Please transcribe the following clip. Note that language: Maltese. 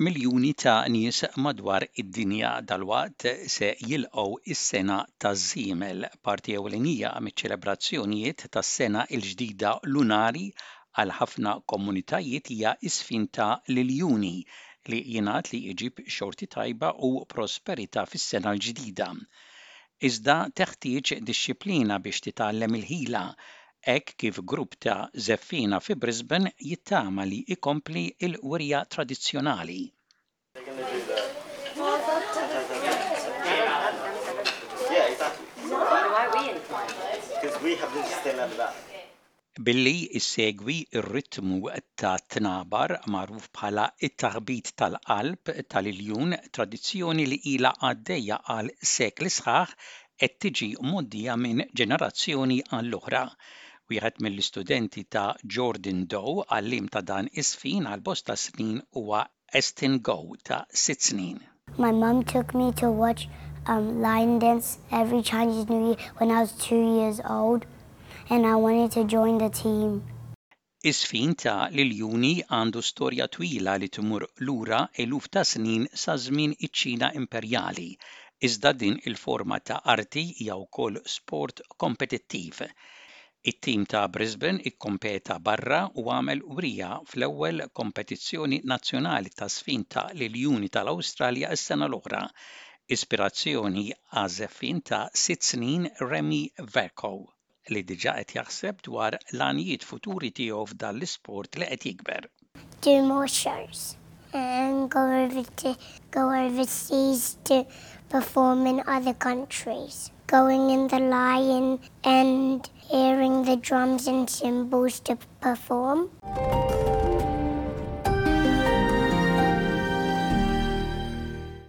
Miljuni ta' nies madwar id-dinja dalwaqt se jilqgħu s-Sena taż-Żiemel, parti ewlenija miċ-ċelebrazzjonijiet tas-Sena l-Ġdida Lunari għal ħafna komunitajiet hija ż-żfin ta' l-iljuni, li jingħad li jġib xorti tajba u prosperità fis-sena l-ġdida. Iżda teħtieġ dixxiplina biex titgħallem il-ħila, hekk kif grupp ta' żeffiena fi Brisbane jittama li jkompli l-wirja tradizzjonali. Billi ssegwi r-ritmu tat-tnabar magħruf bħala t-taħbit tal-qalb tal-iljun, tradizzjoni li ilha għaddejja għal sekli sħaħ, qed tiġi mgħoddija minn ġenerazzjoni għall-oħra. Wieħed mill-istudenti ta' Jordan Doe, għalliem ta' dan iż-żfin għal bosta snin huwa Estin Goh ta' sitt snin. My mum took me to watch um lion dance every Chinese New Year when I was two years old and I wanted to join the team. Iż-żfin ta' l-iljuni għandu storja twila li tmur lura eluf ta' snin sa żmien iċ-Ċina imperjali. Iżda din il-forma ta' arti hija wkoll sport kompetittiv. It-tim ta' Brisbane ikkompeta barra u għamel wrija fl-ewwel kompetizzjoni nazzjonali taż-żfin ta' l-iljuni tal-Awstralja s-sena l-oħra. Ispirazzjoni għaż-żeffien ta' sitt snin Remy Vercoe. li diġà qed jaħseb dwar l-għanijiet futuri tiegħu f'dan l-isport li qed jikber. Do more shows and go over to go overseas to perform in other countries. Going in the lion and hearing the drums and cymbals to perform.